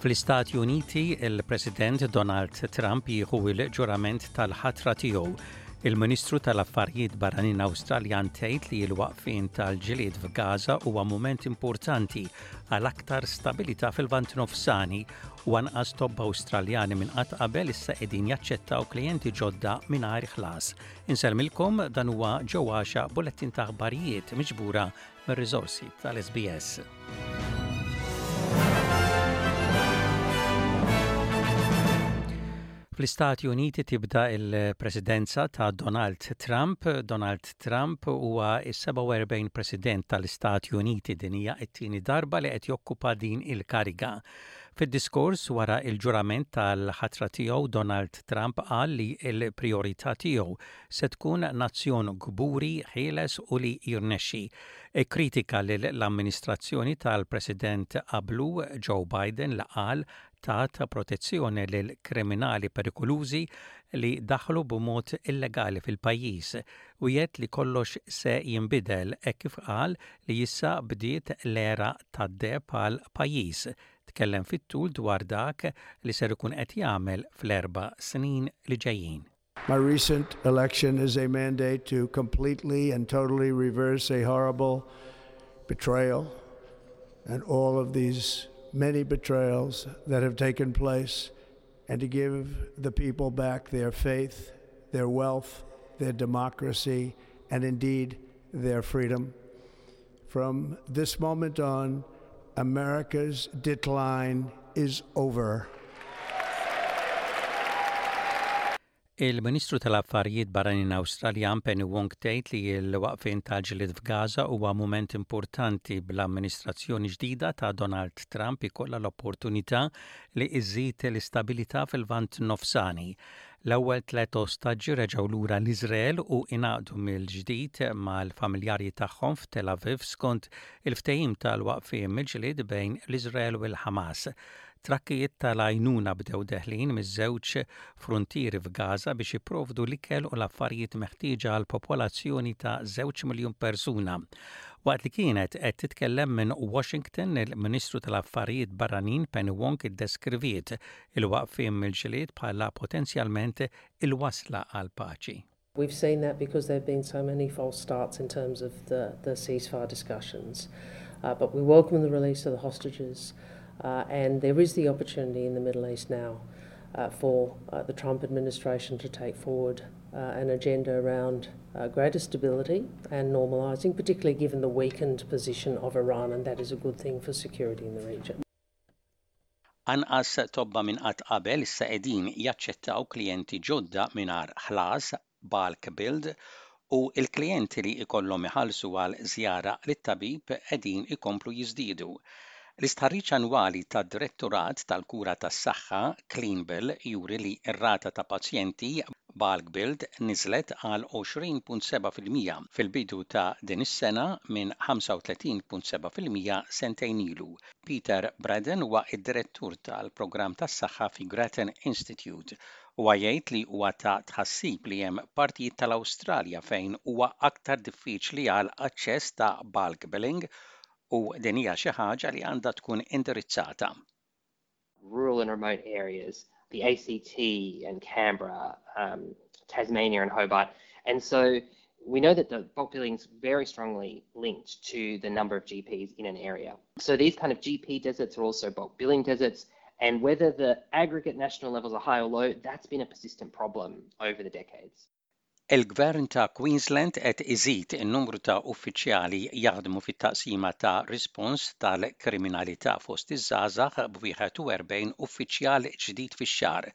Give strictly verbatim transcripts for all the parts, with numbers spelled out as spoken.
Fl-Istati Uniti, il-President Donald Trump jieħu il-ġurament tal-ħatra tiegħu. Il-Ministru tal-Affarijiet Barranin Awstraljan tgħid li l-waqfien tal-ġlied f'Gaza huwa mument importanti għal aktar stabilità fil-Lvant Nofsani u anqas tobba Awstraljani minn qatt qabel issa qegħdin jaċċettaw klijenti ġodda mingħajr ħlas. Insellmilkom dan huwa ġewwaxa bulettin ta' aħbarijiet miġbura mir-riżorsi tal-SBS. Fl-Istati Uniti tibda il-presidenza ta' Donald Trump. Donald Trump huwa is-sebgħa u erbgħin president tal-Istati Uniti din hija t-tieni darba li qed jokkupa din il-kariga. Fid-diskors wara il-ġurament tal-ħatra tiegħu Donald Trump qal li l-priorità tiegħu se tkun nazzjon kburi, ħieles u li jirnexxi. Kritika lill-amministrazzjoni tal-President qablu Joe Biden li qal tat protezzjoni lil kriminali perikolużi li daħlu b'mod illegali fil-pajjiż u jgħid li kollox se jinbidel hekk kif qal li issa bdiet l-era tad-deheb għal pajjiż. Tkellem fit-tul dwar dak li ser ikun qed jagħmel fl-erba' snin li ġejjin. My recent election is a mandate to completely and totally reverse a horrible betrayal and all of these many betrayals that have taken place, and to give the people back their faith, their wealth, their democracy, and indeed their freedom. From this moment on, America's decline is over. Il-Ministru tal-Affarijiet Barranin Awstraljan Penny Wong tgħid li l-waqfien tal-ġlied f'Gaza huwa mument importanti bl-amministrazzjoni ġdida ta' Donald Trump ikollha l-opportunità li iżid l-istabilità fil-Lvant Nofsani. L-ewwel tliet ostaġġi reġgħu lura l-Iżrael u ingħaqdu mill-ġdid mal-familjari tagħhom f'Tel Aviv skont il-ftehim tal-waqfien mill-ġlied bejn l-Iżrael u l-Ħamas. Trakkijiet tal-għajnuna bdew deħlin miż-żewġ frontieri f'Gaza biex jipprovdu l-ikel u l-affarijiet meħtieġa għal popolazzjoni ta' żewġ miljun persuna. Waqt li kienet qed titkellem minn Washington, il-Ministru tal-Affarijiet Barranin Penny Wong iddeskriviet il-waqfien mill-ġlied bħala potenzjalment il-wasla għal paċi. We've seen that because there have been so many false starts in terms of the, the ceasefire discussions. Uh, but we welcome the release of the hostages. Uh, and there is the opportunity in the Middle East now, uh, for, uh, the Trump administration to take forward, uh, an agenda around, uh, greater stability and normalising, particularly given the weakened position of Iran, and that is a good thing for security in the region. Anqas tobba minn qatt qabel issa qegħdin jaċċettaw klijenti ġodda mingħajr ħlas bulk billed u l-klijenti li ikollhom iħallsu għal żjara lit-tabib qegħdin ikomplu jiżdiedu. L-istħarriġ annwali tad-Direttorat tal-Kura tas-Saħħa Clean Bill juri li r-rata ta' pazjenti bulk billed niżlet għal għoxrin punt seba' fil-mija fil-bidu ta' din is-sena minn ħamsa u tletin punt seba' fil-mija sentejn ilu. Peter Braden huwa id-direttur tal-programm tas-saħħa fi Grattan Institute. Huwa jgħid li huwa ta' tħassib li hemm partijiet tal-Awstralja fejn huwa aktar diffiċli għal aċċess ta' bulk billing u din hija xi ħaġa li għandha tkun indirizzata. Rural and remote areas, the A C T and Canberra, um, Tasmania and Hobart. And so we know that the bulk billing is very strongly linked to the number of G Ps in an area. So these kind of G P deserts are also bulk billing deserts, and whether the aggregate national levels are high or low, that's been a persistent problem over the decades. Il-Gvern ta' Queensland qed iżid in-numru ta' uffiċjali jaħdmu fit-taqsima ta' rispons tal-kriminalità fost iż-żgħażagħ b'wieħed u erbgħin uffiċjal ġdid fix-xahar.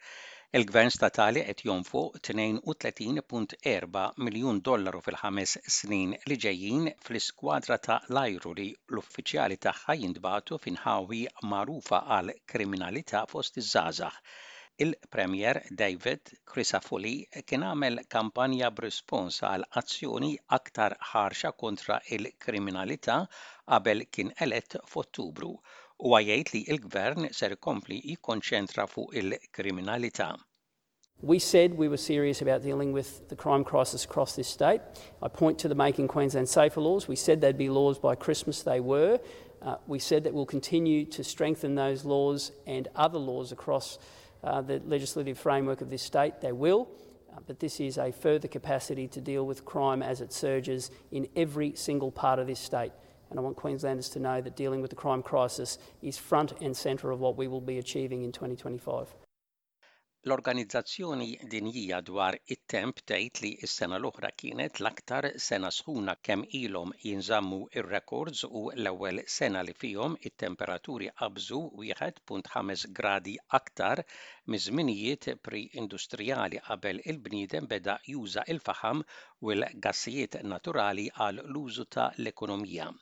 Il-Gvern statali qed jonfoq tnejn u tletin punt erba' miljun dollaru fil-ħames snin li ġejjin fl-iskwadra ta' l-ajru li l-uffiċjali tagħha jintbagħtu f'inħawi magħrufa għal kriminalità fost iż-żgħażagħ. Il-Premier David Crisafulli kien għamel kampanja b'rispons għal azzjoni aktar ħarxa kontra il-kriminalità qabel kien elett f'Ottubru. Huwa jgħid li l-Gvern ser ikompli jikkonċentra fuq il-kriminalità. We said we were serious about dealing with the crime crisis across this state. I point to the Making Queensland Safer laws. We said they'd be laws by Christmas. They were. Uh, we said that we'll continue to strengthen those laws and other laws across uh, the legislative framework of this state. They will, uh, but this is a further capacity to deal with crime as it surges in every single part of this state. And I want Queenslanders to know that dealing with the crime crisis is front and centre of what we will be achieving in twenty twenty-five. L-Organizzazzjoni Dinjija dwar it-Temp tgħid li s-sena l-oħra kienet l-aktar sena sħuna kemm ilhom jinżammu ir-rekords u l-ewwel sena li fihom it-temperaturi qabżu wieħed punt ħames gradi aktar miż-żminijiet pre-industrijali qabel il-bniedem beda juża il-faħam u l-gassijiet naturali għal l-użu ta' l-ekonomija.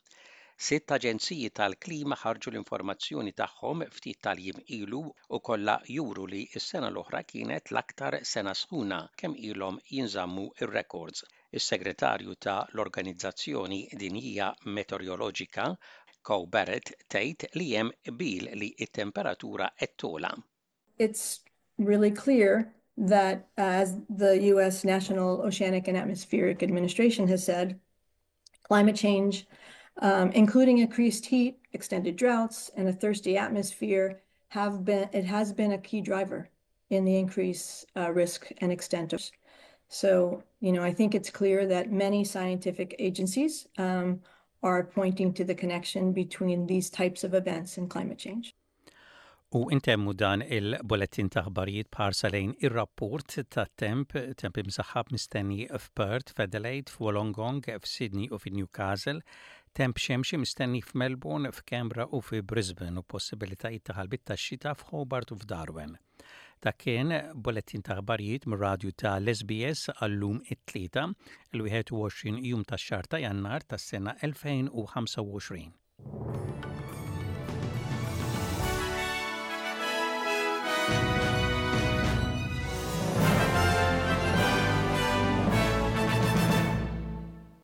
Sitt aġenziji tal-klima ħarġu l-informazzjoni tagħhom ftit tal-jiem ilu u kollha juru li s-sena l-oħra kienet l-aktar sena sħuna kemm ilhom jinżammu ir-records. Is-segretarju ta' l-Organizzazzjoni Dinjija Meteoroloġika Coe Barrett tgħid li hemm qbil li t-temperatura qed togħla. It's really clear that, as the U S. National Oceanic and Atmospheric Administration has said, climate change, um, including increased heat, extended droughts, and a thirsty atmosphere, have been it has been a key driver in the increased uh, risk and extent of. So, you know, I think it's clear that many scientific agencies um, are pointing to the connection between these types of events and climate change. U intemmu dan il-bulletin ta' aħbarijiet b'ħarsa lejn ir-rapport ta' temp, temp imsaħħab mistenni f'Perth, f'Adelaide, f'Wollongong, f'Sydney u f'Newcastle, temp xemxi mistenni f'Melbourne, f'Canberra u fi Brisbane u possibilitajiet ta' ħalbiet ta' xita f'Hobart u f'Darwin. Dak kien bulletin ta' aħbarijiet mir-radju ta' l-S B S għallum it-Tlieta, il-wieħed u għoxrin jum tax-xahar ta' Jannar tas-sena elfejn u ħamsa u għoxrin.